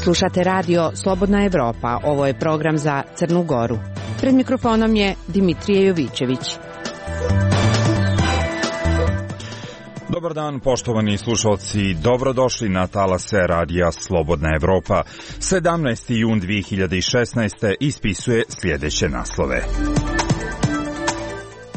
Slušate radio Slobodna Evropa, ovo je program za Crnu Goru. Pred mikrofonom je Dimitrije Jovićević. Dobar dan, poštovani slušalci, dobrodošli na talase radija Slobodna Evropa. 17. jun 2016. ispisuje sljedeće naslove.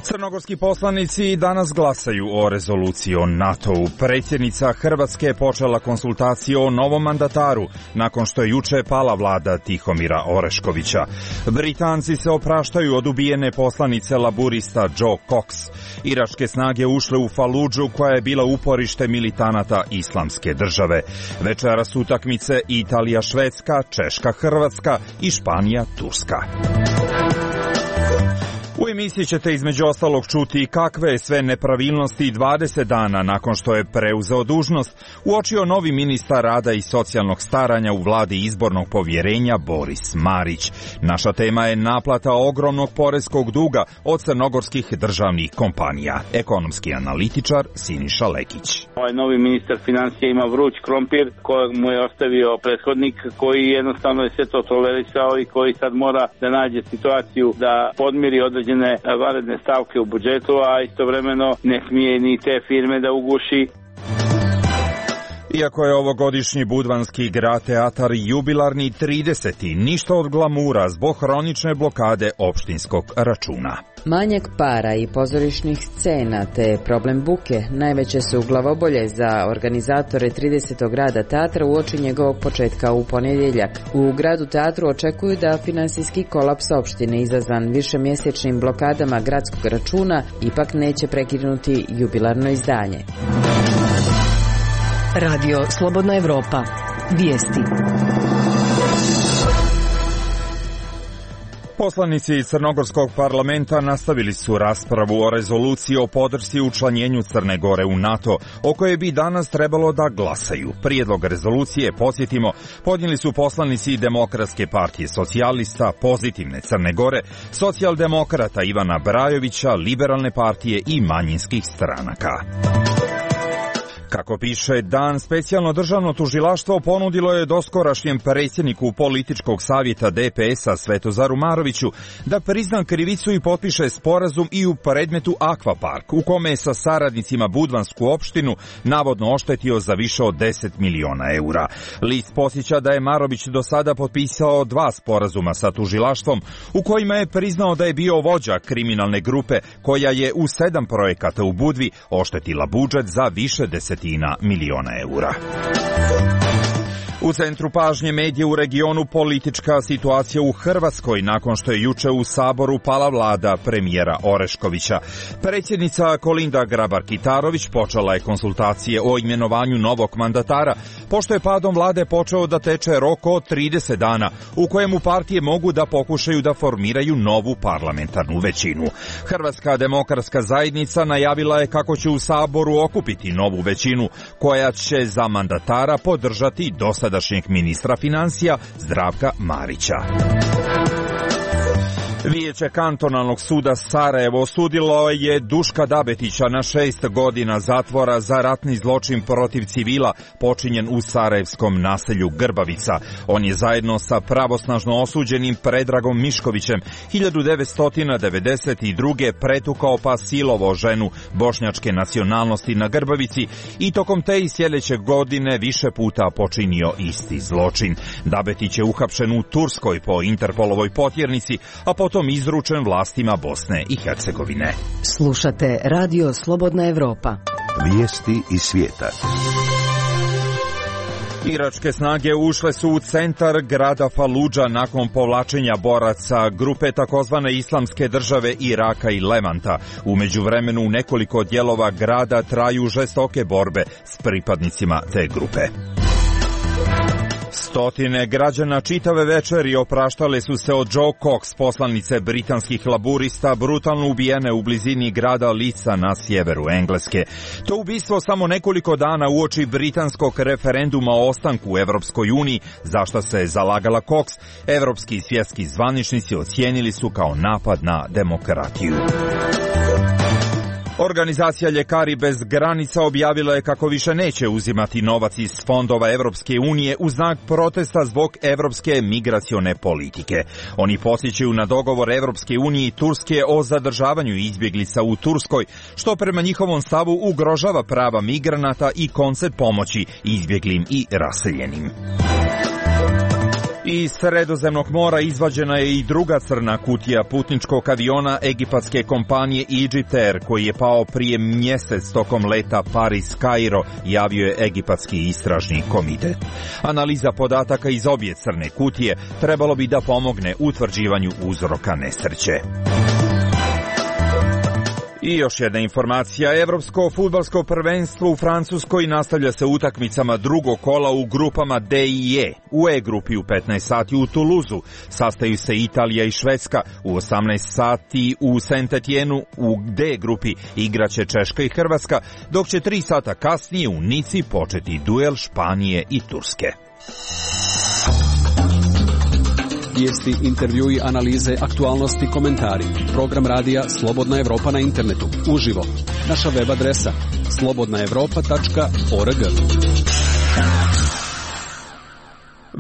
Crnogorski poslanici danas glasaju o rezoluciji o NATO-u. Predsjednica Hrvatske je počela konsultacije o novom mandataru nakon što je juče pala vlada Tihomira Oreškovića. Britanci se opraštaju od ubijene poslanice laburista Joe Cox. Iračke snage ušle u Faludžu koja je bila uporište militanata Islamske države. Večeras utakmice Italija-Švedska, Češka-Hrvatska i Španija-Turska. U emisiji ćete između ostalog čuti kakve je sve nepravilnosti 20 dana nakon što je preuzeo dužnost uočio novi ministar rada i socijalnog staranja u vladi izbornog povjerenja Boris Marić. Naša tema je naplata ogromnog poreskog duga od crnogorskih državnih kompanija. Ekonomski analitičar Siniša Lekić. Ovaj novi ministar financija ima vruć krompir kojeg mu je ostavio prethodnik, koji jednostavno je sve to tolerisao i koji sad mora da nađe situaciju da podmiri određene vanredne stavke u budžetu, a istovremeno ne smije ni te firme da uguši. Iako je ovogodišnji budvanski grad teatar jubilarni 30. ništa od glamura zbog hronične blokade opštinskog računa. Manjak para i pozorišnih scena te problem buke najveće su glavobolje za organizatore 30. grada teatra uoči njegovog početka u ponedjeljak. U gradu teatru očekuju da finansijski kolaps opštine izazvan višemjesečnim blokadama gradskog računa ipak neće prekinuti jubilarno izdanje. Radio Slobodna Evropa. Vijesti. Poslanici Crnogorskog parlamenta nastavili su raspravu o rezoluciji o podršci učlanjenju Crne Gore u NATO, o kojoj bi danas trebalo da glasaju. Prijedlog rezolucije, podsjetimo, podnijeli su poslanici Demokratske partije socijalista, Pozitivne Crne Gore, socijaldemokrata Ivana Brajovića, Liberalne partije i manjinskih stranaka. Kako piše Dan, specijalno državno tužilaštvo ponudilo je doskorašnjem predsjedniku političkog savjeta DPS-a Svetozaru Maroviću da prizna krivicu i potpiše sporazum i u predmetu Akvapark, u kome je sa saradnicima budvansku opštinu navodno oštetio za više od 10 miliona eura. List podsjeća da je Marović do sada potpisao 2 sporazuma sa tužilaštvom, u kojima je priznao da je bio vođa kriminalne grupe koja je u 7 projekata u Budvi oštetila budžet za više miliona eura. U centru pažnje medija u regionu politička situacija u Hrvatskoj nakon što je juče u Saboru pala vlada premijera Oreškovića. Predsjednica Kolinda Grabar-Kitarović počela je konsultacije o imenovanju novog mandatara, pošto je padom vlade počeo da teče rok od 30 dana, u kojemu partije mogu da pokušaju da formiraju novu parlamentarnu većinu. Hrvatska demokratska zajednica najavila je kako će u Saboru okupiti novu većinu, koja će za mandatara podržati dosadašnjeg ministra financija Zdravka Marića. Vijeće kantonalnog suda Sarajevo osudilo je Duška Dabetića na 6 godina zatvora za ratni zločin protiv civila počinjen u sarajevskom naselju Grbavica. On je zajedno sa pravosnažno osuđenim Predragom Miškovićem 1992. pretukao pa silovao ženu bošnjačke nacionalnosti na Grbavici i tokom te i sljedeće godine više puta počinio isti zločin. Dabetić je uhapšen u Turskoj po Interpolovoj potjernici, a potom izručen vlastima Bosne i Hercegovine. Slušate Radio Slobodna Evropa. Vijesti iz svijeta. Iračke snage ušle su u centar grada Faludža nakon povlačenja boraca grupe takozvane Islamske države Iraka i Levanta. U međuvremenu u nekoliko dijelova grada traju žestoke borbe s pripadnicima te grupe. Stotine građana čitave večeri opraštale su se od Joe Cox, poslanice britanskih laburista, brutalno ubijene u blizini grada Leedsa na sjeveru Engleske. To ubistvo samo nekoliko dana uoči britanskog referenduma o ostanku u Evropskoj uniji, za što se zalagala Cox, evropski i svjetski zvaničnici ocijenili su kao napad na demokratiju. Organizacija Ljekari bez granica objavila je kako više neće uzimati novac iz fondova Evropske unije u znak protesta zbog evropske migracione politike. Oni podsjećaju na dogovor Evropske unije i Turske o zadržavanju izbjeglica u Turskoj, što prema njihovom stavu ugrožava prava migranata i koncept pomoći izbjeglim i raseljenim. Iz Sredozemnog mora izvađena je i druga crna kutija putničkog aviona egipatske kompanije Egypt Air, koji je pao prije mjesec tokom leta Paris-Kairo, javio je egipatski istražni komitet. Analiza podataka iz obje crne kutije trebalo bi da pomogne utvrđivanju uzroka nesreće. I još jedna informacija, Evropsko fudbalsko prvenstvo u Francuskoj nastavlja se utakmicama drugog kola u grupama D i E. U E grupi u 15 sati u Toulouseu sastaju se Italija i Švedska, u 18 sati u Saint-Etienne, u D grupi igraće Češka i Hrvatska, dok će 3 sata kasnije u Nici početi duel Španije i Turske. Vijesti, intervjui, analize, aktualnosti, komentari. Program radija Slobodna Evropa na internetu. Uživo. Naša web adresa slobodnaevropa.org.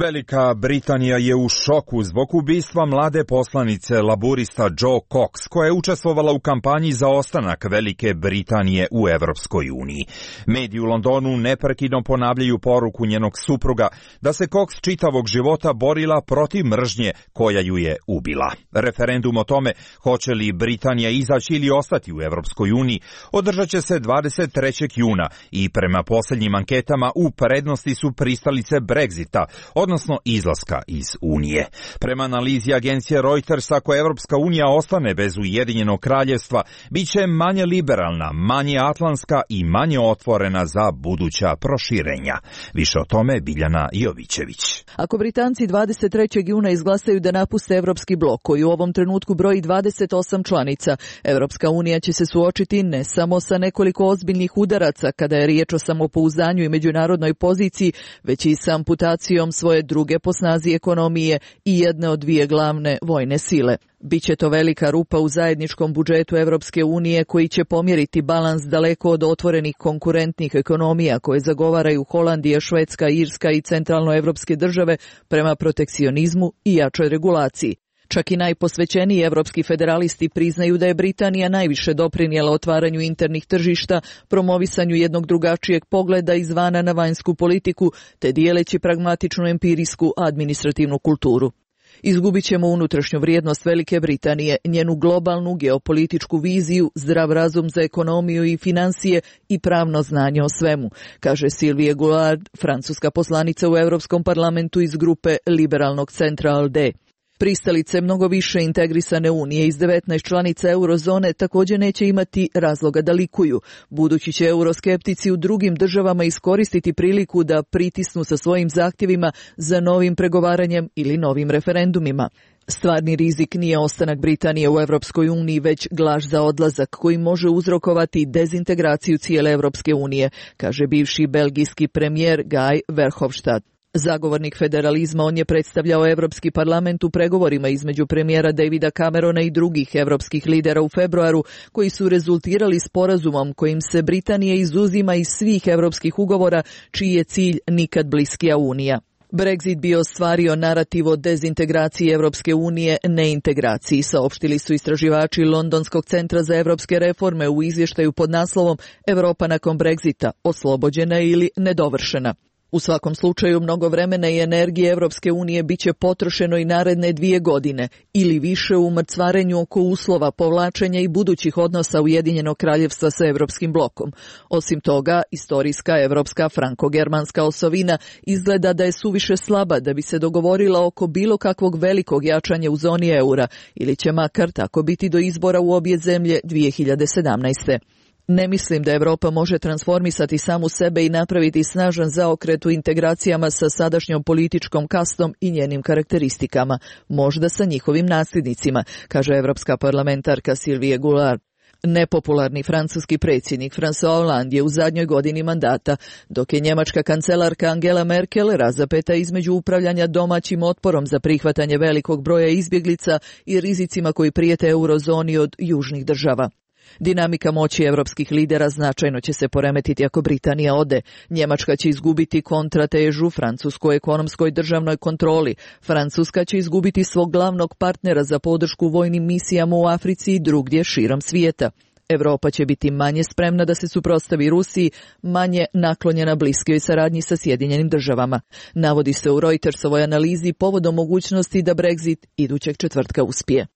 Velika Britanija je u šoku zbog ubistva mlade poslanice laburista Joe Cox, koja je učestvovala u kampanji za ostanak Velike Britanije u Evropskoj uniji. Mediji u Londonu neprekidno ponavljaju poruku njenog supruga da se Cox čitavog života borila protiv mržnje koja ju je ubila. Referendum o tome hoće li Britanija izaći ili ostati u Evropskoj uniji održat će se 23. juna i prema posljednjim anketama u prednosti su pristalice Brexita, odnosno izlaska iz Unije. Prema analizi agencije Reuters, ako Evropska unija ostane bez Ujedinjenog kraljevstva, bit će manje liberalna, manje atlantska i manje otvorena za buduća proširenja. Više o tome Biljana Jovićević. Ako Britanci 23. juna izglasaju da napuste Evropski blok, koji u ovom trenutku broji 28 članica, Evropska unija će se suočiti ne samo sa nekoliko ozbiljnih udaraca kada je riječ o samopouzdanju i međunarodnoj poziciji, već i sa amputacijom svoje druge po snazi ekonomije i jedne od dvije glavne vojne sile. Biće to velika rupa u zajedničkom budžetu Evropske unije koji će pomjeriti balans daleko od otvorenih konkurentnih ekonomija koje zagovaraju Holandija, Švedska, Irska i centralnoevropske države prema protekcionizmu i jačoj regulaciji. Čak i najposvećeniji evropski federalisti priznaju da je Britanija najviše doprinijela otvaranju internih tržišta, promovisanju jednog drugačijeg pogleda izvana na vanjsku politiku, te dijeleći pragmatičnu empirijsku administrativnu kulturu. Izgubit ćemo unutrašnju vrijednost Velike Britanije, njenu globalnu geopolitičku viziju, zdrav razum za ekonomiju i financije i pravno znanje o svemu, kaže Sylvie Goulard, francuska poslanica u Europskom parlamentu iz grupe liberalnog centra ALDE. Pristalice mnogo više integrisane unije iz 19 članica eurozone također neće imati razloga da likuju, budući će euroskeptici u drugim državama iskoristiti priliku da pritisnu sa svojim zahtjevima za novim pregovaranjem ili novim referendumima. Stvarni rizik nije ostanak Britanije u Evropskoj uniji, već glaž za odlazak koji može uzrokovati dezintegraciju cijele Evropske unije, kaže bivši belgijski premijer Guy Verhofstadt. Zagovornik federalizma, on je predstavljao Evropski parlament u pregovorima između premijera Davida Camerona i drugih evropskih lidera u februaru, koji su rezultirali sporazumom kojim se Britanija izuzima iz svih evropskih ugovora, čiji je cilj nikad bliskija unija. Brexit bi ostvario narativ o dezintegraciji Evropske unije, neintegraciji, saopštili su istraživači Londonskog centra za evropske reforme u izvještaju pod naslovom Europa nakon Brexita, oslobođena ili nedovršena. U svakom slučaju mnogo vremena i energije Evropske unije biće potrošeno i naredne 2 godine ili više u mrcvarenju oko uslova povlačenja i budućih odnosa Ujedinjenog kraljevstva sa Evropskim blokom. Osim toga, istorijska evropska franko-germanska osovina izgleda da je suviše slaba da bi se dogovorila oko bilo kakvog velikog jačanja u zoni eura ili će makar tako biti do izbora u obje zemlje 2017. Ne mislim da Europa može transformisati samu sebe i napraviti snažan zaokret u integracijama sa sadašnjom političkom kastom i njenim karakteristikama, možda sa njihovim nasljednicima, kaže evropska parlamentarka Sylvie Goulard. Nepopularni francuski predsjednik François Hollande je u zadnjoj godini mandata, dok je njemačka kancelarka Angela Merkel razapeta između upravljanja domaćim otporom za prihvatanje velikog broja izbjeglica i rizicima koji prijete eurozoni od južnih država. Dinamika moći evropskih lidera značajno će se poremetiti ako Britanija ode. Njemačka će izgubiti kontratežu francuskoj ekonomskoj državnoj kontroli. Francuska će izgubiti svog glavnog partnera za podršku vojnim misijama u Africi i drugdje širom svijeta. Evropa će biti manje spremna da se suprotstavi Rusiji, manje naklonjena bliskoj saradnji sa Sjedinjenim državama. Navodi se u Reutersovoj analizi povodom mogućnosti da Brexit idućeg četvrtka uspije.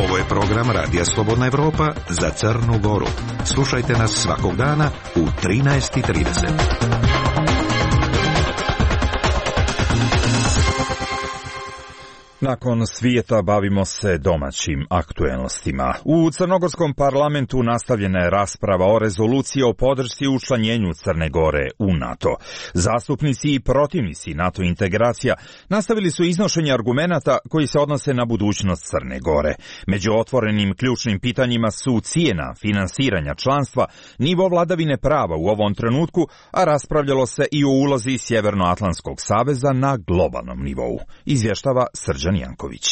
Ovo je program Radija Slobodna Evropa za Crnu Goru. Slušajte nas svakog dana u 13:30. Nakon svijeta bavimo se domaćim aktuelnostima. U crnogorskom parlamentu nastavljena je rasprava o rezoluciji o podršci učlanjenju Crne Gore u NATO. Zastupnici i protivnici NATO integracija nastavili su iznošenje argumenata koji se odnose na budućnost Crne Gore. Među otvorenim ključnim pitanjima su cijena finansiranja članstva, nivo vladavine prava u ovom trenutku, a raspravljalo se i o ulozi Sjevernoatlantskog saveza na globalnom nivou. Izvještava Srđan Janković.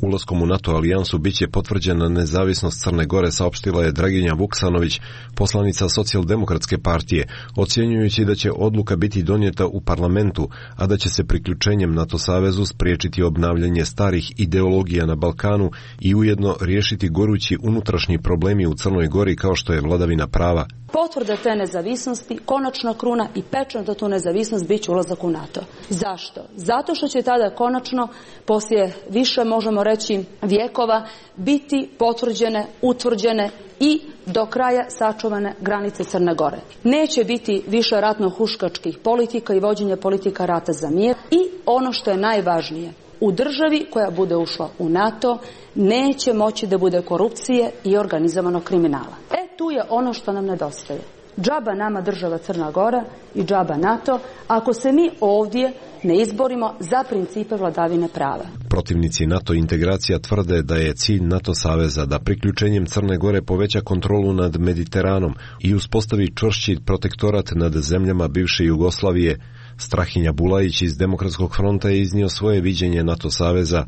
Ulaskom u NATO alijansu biće potvrđena nezavisnost Crne Gore, saopštila je Draginja Vuksanović, poslanica Socijaldemokratske partije, ocjenjujući da će odluka biti donijeta u parlamentu, a da će se priključenjem NATO savezu spriječiti obnavljanje starih ideologija na Balkanu i ujedno riješiti gorući unutrašnji problemi u Crnoj Gori kao što je vladavina prava. Potvrda te nezavisnosti, konačna kruna i pečat za tu nezavisnost bit će ulazak u NATO. Zašto? Zato što će tada konačno, poslije više možemo reći vjekova, biti potvrđene, utvrđene i do kraja sačuvane granice Crne Gore. Neće biti više ratno-huškačkih politika i vođenje politika rata za mir i ono što je najvažnije, u državi koja bude ušla u NATO neće moći da bude korupcije i organizovanog kriminala. Tu je ono što nam nedostaje. Džaba nama država Crna Gora i džaba NATO ako se mi ovdje ne izborimo za principe vladavine prava. Protivnici NATO integracija tvrde da je cilj NATO saveza da priključenjem Crne Gore poveća kontrolu nad Mediteranom i uspostavi čvršći protektorat nad zemljama bivše Jugoslavije. Strahinja Bulajić iz Demokratskog fronta je iznio svoje viđenje NATO saveza.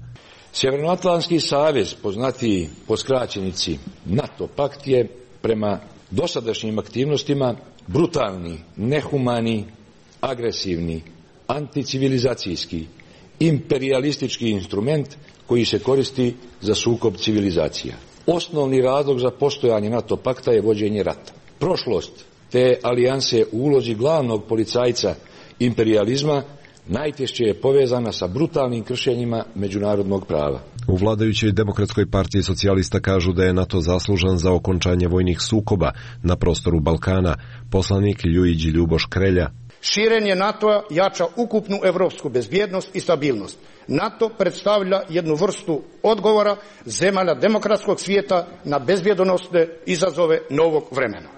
Sjevernoatlantski savez, poznatiji po skraćenici NATO pakt, je prema dosadašnjim aktivnostima brutalni, nehumani, agresivni, anticivilizacijski, imperijalistički instrument koji se koristi za sukob civilizacija. Osnovni razlog za postojanje NATO pakta je vođenje rata. Prošlost te alijanse u ulozi glavnog policajca imperijalizma najtešće je povezana sa brutalnim kršenjima međunarodnog prava. U vladajućoj Demokratskoj partiji socijalista kažu da je NATO zaslužan za okončanje vojnih sukoba na prostoru Balkana. Poslanik Ljujić Ljuboš Krelja. Širenje NATO-a jača ukupnu evropsku bezbjednost i stabilnost. NATO predstavlja jednu vrstu odgovora zemalja demokratskog svijeta na bezbjednosne izazove novog vremena.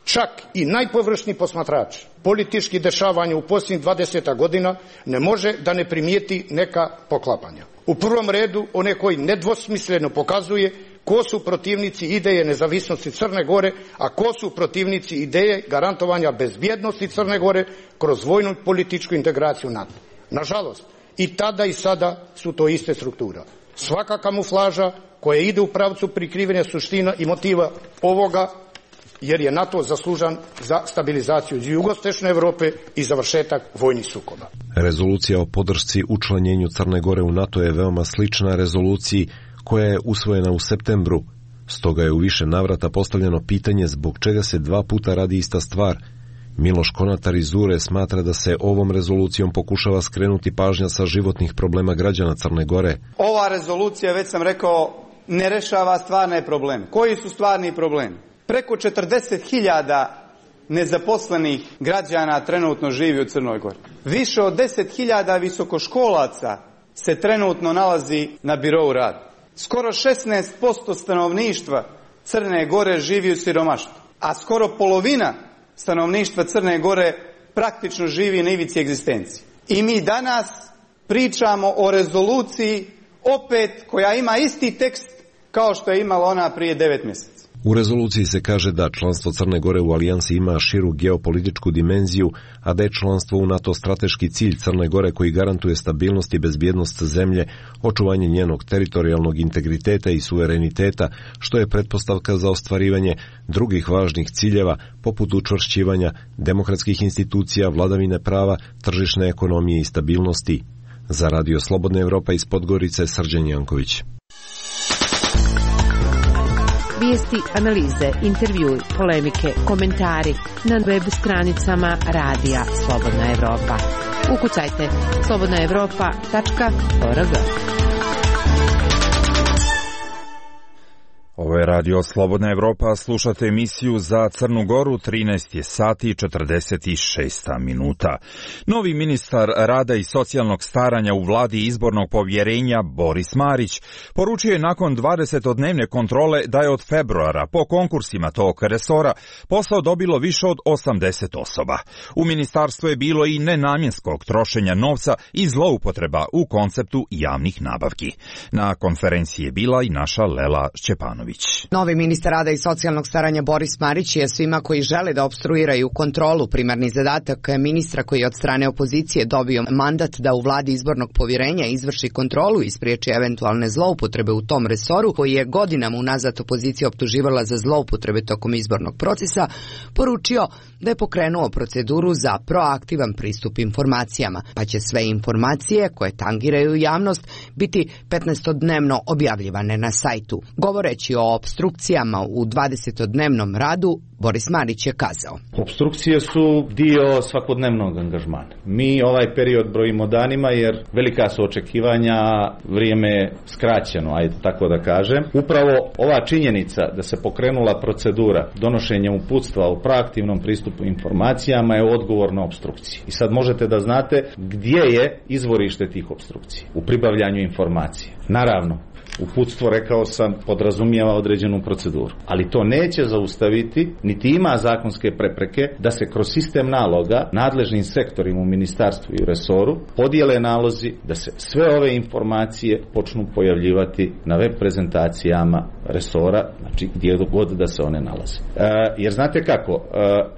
Čak i najpovršniji posmatrač politički dešavanja u posljednjih 20 godina ne može da ne primijeti neka poklapanja. U prvom redu one koji nedvosmisleno pokazuje ko su protivnici ideje nezavisnosti Crne Gore, a ko su protivnici ideje garantovanja bezbjednosti Crne Gore kroz vojnu političku integraciju NATO. Nažalost, i tada i sada su to iste struktura. Svaka kamuflaža koja ide u pravcu prikrivanja suština i motiva ovoga, jer je NATO zaslužan za stabilizaciju jugoistočne Europe i završetak vojnih sukoba. Rezolucija o podršci učlanjenju Crne Gore u NATO je veoma slična rezoluciji koja je usvojena u septembru. Stoga je u više navrata postavljeno pitanje zbog čega se dva puta radi ista stvar. Miloš Konatar iz Zure smatra da se ovom rezolucijom pokušava skrenuti pažnja sa životnih problema građana Crne Gore. Ova rezolucija, već sam rekao, ne rešava stvarne probleme. Koji su stvarni problemi? Preko 40.000 nezaposlenih građana trenutno živi u Crnoj Gori. Više od 10.000 visokoškolaca se trenutno nalazi na birou rada. Skoro 16% stanovništva Crne Gore živi u siromaštvu, a skoro polovina stanovništva Crne Gore praktično živi na ivici egzistencije. I mi danas pričamo o rezoluciji opet koja ima isti tekst kao što je imala ona prije 9 mjeseci. U rezoluciji se kaže da članstvo Crne Gore u alijansi ima širu geopolitičku dimenziju, a da je članstvo u NATO strateški cilj Crne Gore koji garantuje stabilnost i bezbjednost zemlje, očuvanje njenog teritorijalnog integriteta i suvereniteta, što je pretpostavka za ostvarivanje drugih važnih ciljeva poput učvršćivanja demokratskih institucija, vladavine prava, tržišne ekonomije i stabilnosti. Za Radio Slobodna Evropa iz Podgorice, Srđan Janković. Vijesti, analize, intervjui, polemike, komentari na web stranicama Radija Slobodna Evropa. Ukucajte slobodnaevropa.org. Ovo je Radio Slobodna Evropa, slušate emisiju za Crnu Goru, 13 je sati i 46 minuta. Novi ministar rada i socijalnog staranja u vladi izbornog povjerenja Boris Marić poručio je nakon 20-dnevne kontrole da je od februara po konkursima tog resora posao dobilo više od 80 osoba. U ministarstvu je bilo i nenamjenskog trošenja novca i zloupotreba u konceptu javnih nabavki. Na konferenciji je bila i naša Lela Šćepanović. Novi ministar rada i socijalnog staranja Boris Marić je svima koji žele da opstruiraju kontrolu primarni zadatak ministra koji je od strane opozicije dobio mandat da u vladi izbornog povjerenja izvrši kontrolu i spriječi eventualne zloupotrebe u tom resoru koji je godinama unazad opozicija optuživala za zloupotrebe tokom izbornog procesa, poručio da je pokrenuo proceduru za proaktivan pristup informacijama, pa će sve informacije koje tangiraju javnost biti 15-dnevno objavljivane na sajtu. Govoreći o opstrukcijama u 20-dnevnom radu, Boris Marić je kazao: Opstrukcije su dio svakodnevnog angažmana. Mi ovaj period brojimo danima jer velika su očekivanja, vrijeme je skraćeno, ajde tako da kažem. Upravo ova činjenica da se pokrenula procedura donošenja uputstva o proaktivnom pristupu informacijama je odgovor na opstrukcije. I sad možete da znate gdje je izvorište tih opstrukcija u pribavljanju informacije. Naravno, uputstvo, rekao sam, podrazumijeva određenu proceduru. Ali to neće zaustaviti, niti ima zakonske prepreke da se kroz sistem naloga nadležnim sektorima u ministarstvu i u resoru podijele nalozi da se sve ove informacije počnu pojavljivati na web prezentacijama resora, znači gdje god da se one nalaze. Jer znate kako,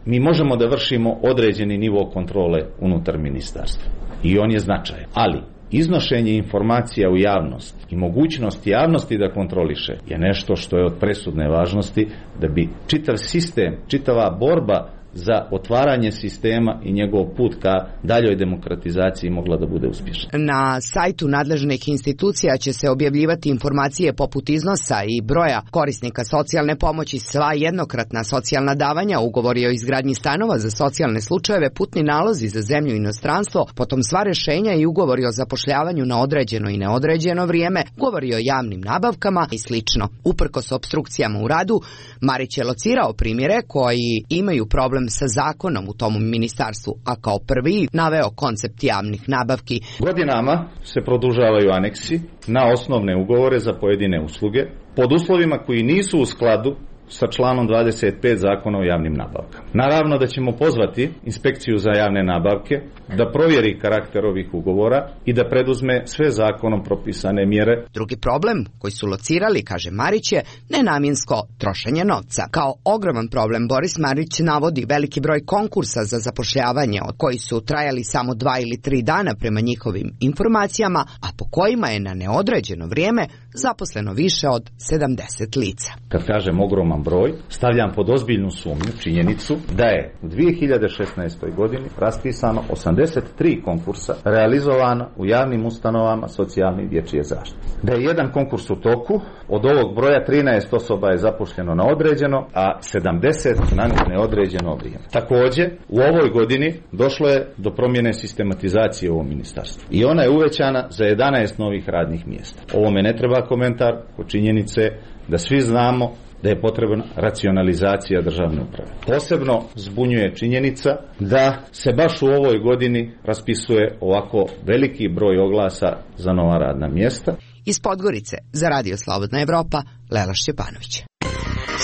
mi možemo da vršimo određeni nivo kontrole unutar ministarstva i on je značajan, ali iznošenje informacija u javnost i mogućnost javnosti da kontroliše je nešto što je od presudne važnosti da bi čitav sistem, čitava borba za otvaranje sistema i njegov put ka daljoj demokratizaciji mogla da bude uspješna. Na sajtu nadležnih institucija će se objavljivati informacije poput iznosa i broja korisnika socijalne pomoći, sva jednokratna socijalna davanja, ugovori o izgradnji stanova za socijalne slučajeve, putni nalozi za zemlju i inostranstvo, potom sva rješenja i ugovori o zapošljavanju na određeno i neodređeno vrijeme, ugovori o javnim nabavkama i slično. Uprkos opstrukcijama u radu, Marić je locirao primjere koji imaju problem sa zakonom u tom ministarstvu, a kao prvi naveo koncept javnih nabavki. Godinama se produžavaju aneksi na osnovne ugovore za pojedine usluge pod uslovima koji nisu u skladu sa članom 25 Zakona o javnim nabavkama. Naravno da ćemo pozvati inspekciju za javne nabavke da provjeri karakter ovih ugovora i da preduzme sve zakonom propisane mjere. Drugi problem koji su locirali, kaže Marić, je nenamjensko trošenje novca. Kao ogroman problem Boris Marić navodi veliki broj konkursa za zapošljavanje, od koji su trajali samo 2 ili 3 dana prema njihovim informacijama, a po kojima je na neodređeno vrijeme zaposleno više od 70 lica. Kad kažem ogroman broj, stavljam pod ozbiljnu sumnju činjenicu da je u 2016. godini raspisano 83 konkursa realizovano u javnim ustanovama socijalne i dječje zaštite. Da je jedan konkurs u toku, od ovog broja 13 osoba je zaposleno na određeno, a 70 na neodređeno vrijeme. Također, u ovoj godini došlo je do promjene sistematizacije u ovom ministarstvu. I ona je uvećana za 11 novih radnih mjesta. Ovome ne treba komentar, po činjenice da svi znamo da je potrebna racionalizacija državne uprave. Posebno zbunjuje činjenica da se baš u ovoj godini raspisuje ovako veliki broj oglasa za nova radna mjesta. Iz Podgorice za Radio Slobodna Evropa, Lela Šćepanović.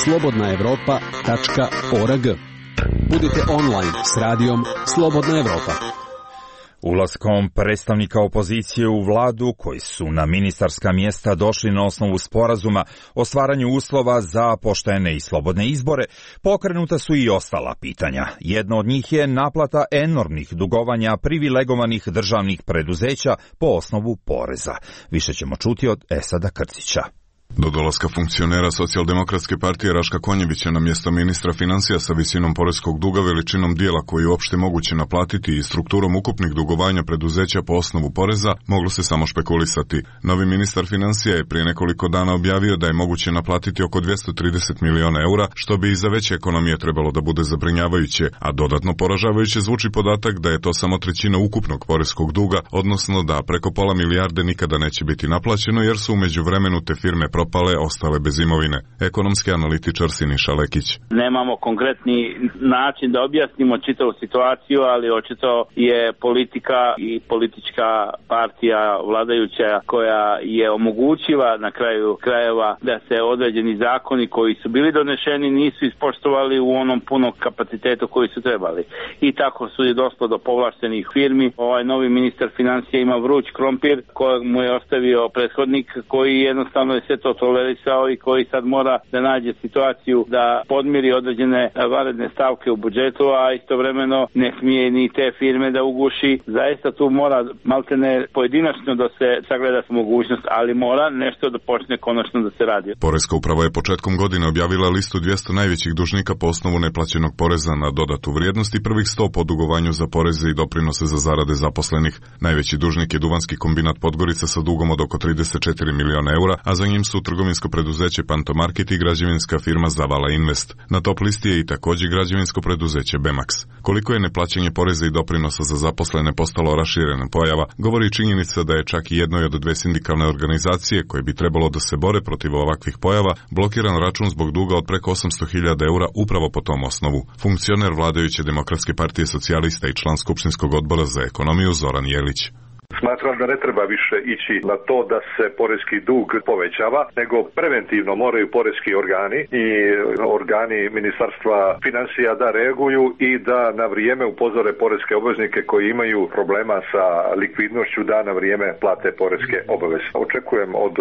slobodnaevropa.org. Budite online s radijom Slobodna Evropa. Ulaskom predstavnika opozicije u vladu, koji su na ministarska mjesta došli na osnovu sporazuma o stvaranju uslova za poštene i slobodne izbore, pokrenuta su i ostala pitanja. Jedno od njih je naplata enormnih dugovanja privilegovanih državnih preduzeća po osnovu poreza. Više ćemo čuti od Esada Krcića. Do dolaska funkcionera Socijaldemokratske partije Raška Konjevića na mjesto ministra financija sa visinom poreskog duga, veličinom dijela koji je uopšte moguće naplatiti i strukturom ukupnih dugovanja preduzeća po osnovu poreza, moglo se samo špekulisati. Novi ministar financija je prije nekoliko dana objavio da je moguće naplatiti oko 230 miliona eura, što bi i za veće ekonomije trebalo da bude zabrinjavajuće, a dodatno poražavajuće zvuči podatak da je to samo trećina ukupnog poreskog duga, odnosno da preko pola milijarde nikada neće biti naplaćeno jer su u međuvremenu te firme propale, ostale bez imovine. Ekonomski analitičar Siniša Lekić. Nemamo konkretni način da objasnimo čitavu situaciju, ali očito je politika i politička partija vladajuća koja je omogućila na kraju krajeva da se određeni zakoni koji su bili donešeni nisu ispoštovali u onom punom kapacitetu koji su trebali. I tako su je došlo do povlaštenih firmi. Ovaj novi ministar financija ima vruć krompir kojeg mu je ostavio prethodnik koji jednostavno je sve to tolerisao i koji sad mora da nađe situaciju da podmiri određene vanredne stavke u budžetu, a istovremeno ne smije ni te firme da uguši. Zaista tu mora maltene pojedinačno da se sagleda mogućnost, ali mora nešto da počne konačno da se radi. Poreska uprava je početkom godine objavila listu 200 najvećih dužnika po osnovu neplaćenog poreza na dodatu vrijednost i prvih 100 po dugovanju za poreze i doprinose za zarade zaposlenih. Najveći dužnik je Duvanski kombinat Podgorica sa dugom od oko 34 miliona eura, a za njim su trgovinsko preduzeće Pantomarket i građevinska firma Zavala Invest. Na top listi je i također građevinsko preduzeće Bemax. Koliko je neplaćanje poreza i doprinosa za zaposlene postalo raširena pojava, govori činjenica da je čak i jednoj od dve sindikalne organizacije koje bi trebalo da se bore protiv ovakvih pojava blokiran račun zbog duga od preko 800.000 eura upravo po tom osnovu. Funkcioner vladajuće Demokratske partije socijalista i član Skupštinskog odbora za ekonomiju Zoran Jelić. Smatram da ne treba više ići na to da se poreski dug povećava, nego preventivno moraju poreski organi i organi Ministarstva financija da reaguju i da na vrijeme upozore poreske obveznike koji imaju problema sa likvidnošću da na vrijeme plate poreske obaveze. Očekujem od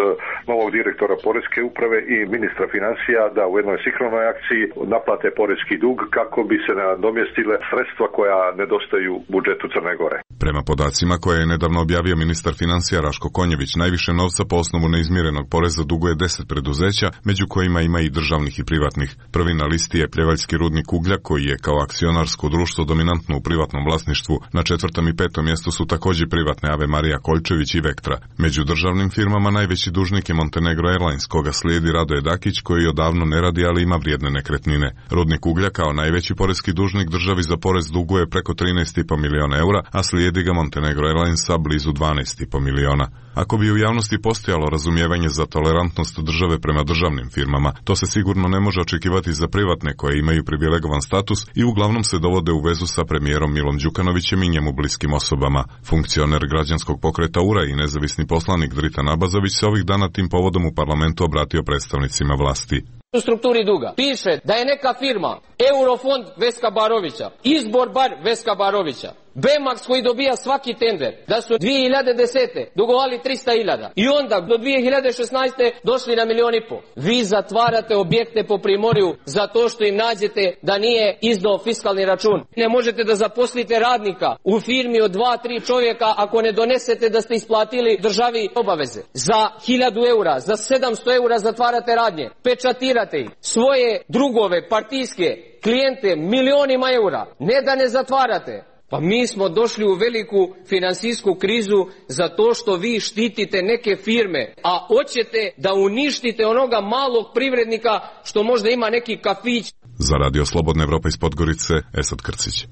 novog direktora poreske uprave i ministra financija da u jednoj sinhronoj akciji naplate poreski dug kako bi se nadomjestile sredstva koja nedostaju budžetu Crne Gore. Prema podacima koje je nedavno objavio ministar financija Raško Konjević, najviše novca po osnovu neizmirenog poreza duguje 10 preduzeća, među kojima ima i državnih i privatnih. Prvi na listi je Pljevaljski rudnik uglja, koji je kao akcionarsko društvo dominantno u privatnom vlasništvu. Na 4. i 5. mjestu su također privatne Ave Marija Koljčević i Vektra. Među državnim firmama najveći dužnik je Montenegro Airlines, koga slijedi Radoje Dakić, koji odavno ne radi, ali ima vrijedne nekretnine. Rudnik uglja kao najveći poreski dužnik državi za porez duguje preko 13,5 miliona eura, a slijedi ga Montenegro Airlines sa blizu 12,5 miliona. Ako bi u javnosti postojalo razumijevanje za tolerantnost države prema državnim firmama, to se sigurno ne može očekivati za privatne koje imaju privilegovan status i uglavnom se dovode u vezu sa premijerom Milom Đukanovićem i njemu bliskim osobama. Funkcioner građanskog pokreta URA i nezavisni poslanik Dritan Abazović se ovih dana tim povodom u parlamentu obratio predstavnicima vlasti. U strukturi duga piše da je neka firma Eurofond Veska Barovića, Izbor bar Veska Barovića, Bemax koji dobija svaki tender, da su 2010. dugovali 300.000 i onda do 2016. došli na 1,5 miliona. Vi zatvarate objekte po Primorju zato što im nađete da nije izdao fiskalni račun. Ne možete da zaposlite radnika u firmi od 2-3 čovjeka ako ne donesete da ste isplatili državi obaveze. Za 1.000 eura, za 700 eura zatvarate radnje, pečatirate ih, svoje drugove, partijske, klijente, milionima eura, ne da ne zatvarate. Pa mi smo došli u veliku finansijsku krizu zato što vi štitite neke firme, a hoćete da uništite onoga malog privrednika što možda ima neki kafić. Za Radio Slobodna Evropa iz Podgorice, Esad Krcić.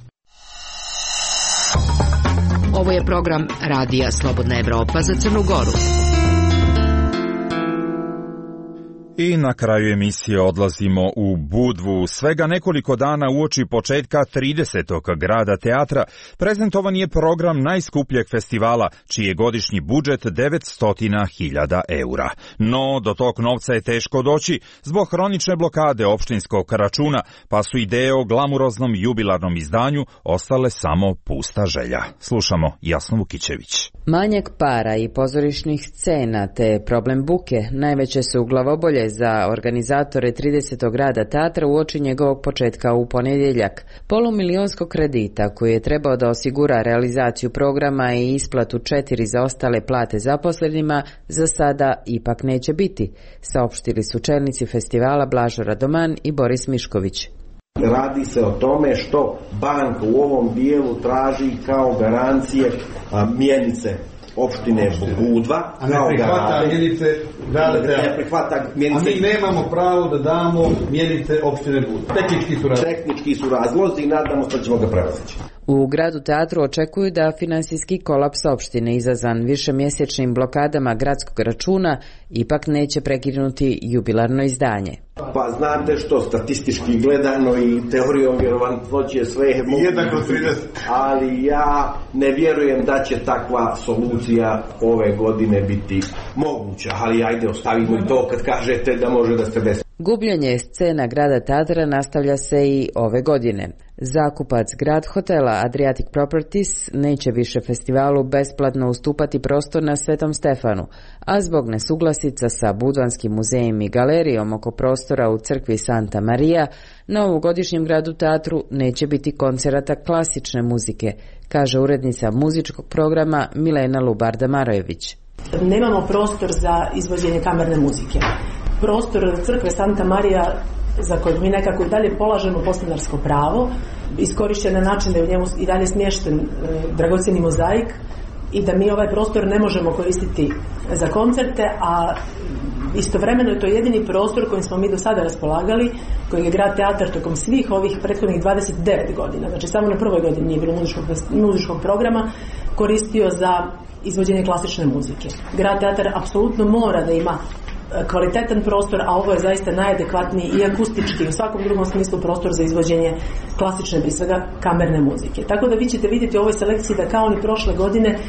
Ovo je program Radija Slobodna Evropa za Crnu Goru. I na kraju emisije odlazimo u Budvu. Svega nekoliko dana uoči početka 30. grada teatra prezentovan je program najskupljeg festivala, čiji je godišnji budžet 900.000 eura. No, do tog novca je teško doći zbog hronične blokade opštinskog računa, pa su ideje o glamuroznom jubilarnom izdanju ostale samo pusta želja. Slušamo Jasnu Vukićević. Manjak para i pozorišnih scena te problem buke najveće su glavobolje za organizatore 30. grada teatra uoči njegovog početka u ponedjeljak. Polumilionskog kredita koji je trebao da osigura realizaciju programa i isplatu 4 zaostale plate zaposlenima za sada ipak neće biti, saopštili su čelnici festivala Blažo Radoman i Boris Mišković. Radi se o tome što banka u ovom dijelu traži kao garancije mjenice opštine Budva, a ne prihvata mjenice grada teatra. A mi nemamo pravo da damo mjenice opštine Budva. Tehnički su razlozi i nadamo se da ćemo ga prevazići. U gradu teatru očekuju da finansijski kolaps opštine izazvan višemjesečnim blokadama gradskog računa ipak neće prekinuti jubilarno izdanje. Pa znate što, statistički gledano i teorijom vjerovatnoće sve je moguće, ali ja ne vjerujem da će takva solucija ove godine biti moguća, ali ajde ostavimo i to kad kažete da može da se desi. Gubljenje scena grada teatra nastavlja se i ove godine. Zakupac Grad hotela Adriatic Properties neće više festivalu besplatno ustupati prostor na Svetom Stefanu, a zbog nesuglasica sa Budvanskim muzejem i galerijom oko prostora u crkvi Santa Maria, na ovogodišnjem gradu teatru neće biti koncerata klasične muzike, kaže urednica muzičkog programa Milena Lubarda-Marojević. Nemamo prostor za izvođenje kamerne muzike. Prostor crkve Santa Maria, za kojeg mi nekako i dalje polažemo podstanarsko pravo, iskorišćen na način da je u njemu i dalje smješten dragocjeni mozaik i da mi ovaj prostor ne možemo koristiti za koncerte, a istovremeno je to jedini prostor kojim smo mi do sada raspolagali, kojeg je grad teatar tokom svih ovih prethodnih 29 godina, znači samo na prvoj godini nije bilo muzičkog programa, koristio za izvođenje klasične muzike. Grad teatar apsolutno mora da ima kvalitetan prostor, a ovo je zaista najadekvatniji i akustički, u svakom drugom smislu prostor za izvođenje klasične, prije svega kamerne muzike. Tako da vi ćete vidjeti u ovoj selekciji da kao ni prošle godine,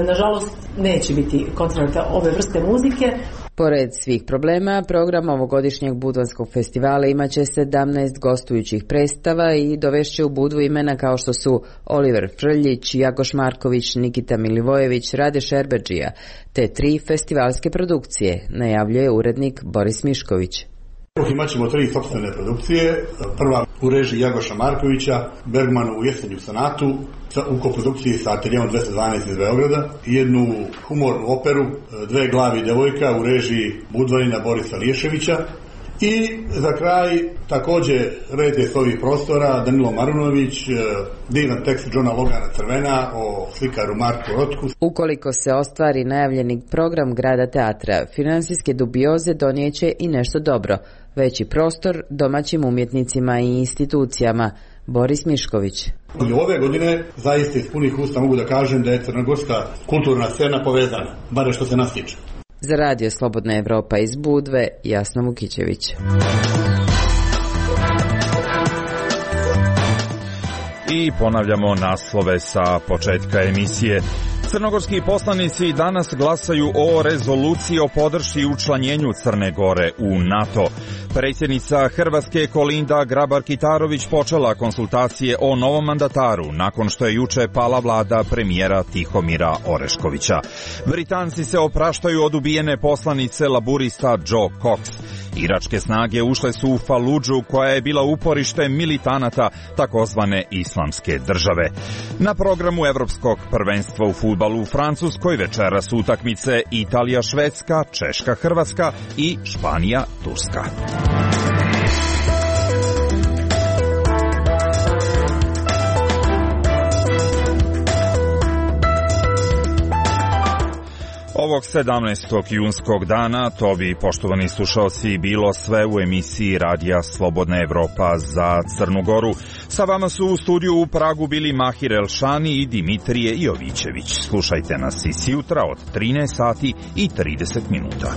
nažalost, neće biti koncerta ove vrste muzike. Pored svih problema, program ovogodišnjeg Budvanskog festivala imaće 17 gostujućih predstava i dovešće u Budvu imena kao što su Oliver Frljić, Jagoš Marković, Nikita Milivojević, Rade Šerbedžija, te 3 festivalske produkcije, najavljuje urednik Boris Mišković. Imat ćemo 3 sopstvene produkcije. Prva u režiji Jagoša Markovića, Bergmanu u Jesenju sonatu, u koprodukciji sa Ateljevom 212 iz Beograda, jednu humornu operu, Dve glavi devojka u režiji Budvanina Borisa Liješevića i za kraj također redje s ovih prostora Danilo Marunović, divan tekst Johna Logana Crvena o slikaru Marku Rotku. Ukoliko se ostvari najavljeni program grada teatra, finansijske dubioze donijeće i nešto dobro, veći prostor domaćim umjetnicima i institucijama. Boris Mišković. I ove godine zaista iz punih usta mogu da kažem da je crnogorska kulturna scena povezana, bare što se nas tiče. Za Radio Slobodna Evropa iz Budve, Jasna Vukićević. I ponavljamo naslove sa početka emisije. Crnogorski poslanici danas glasaju o rezoluciji o podršci učlanjenju Crne Gore u NATO. Predsjednica Hrvatske Kolinda Grabar-Kitarović počela konsultacije o novom mandataru nakon što je juče pala vlada premijera Tihomira Oreškovića. Britanci se opraštaju od ubijene poslanice laburista Joe Cox. Iračke snage ušle su u Faludžu koja je bila uporište militanata takozvane islamske države. Na programu Evropskog prvenstva u fudbalu u Francuskoj večeras utakmice Italija-Švedska, Češka-Hrvatska i Španija-Turska. Ovog 17. junskog dana to bi, poštovani slušalci, bilo sve u emisiji Radija Slobodna Evropa za Crnu Goru. Sa vama su u studiju u Pragu bili Mahir Elšani i Dimitrije Jovićević. Slušajte nas i sjutra od 13 sati i 30 minuta.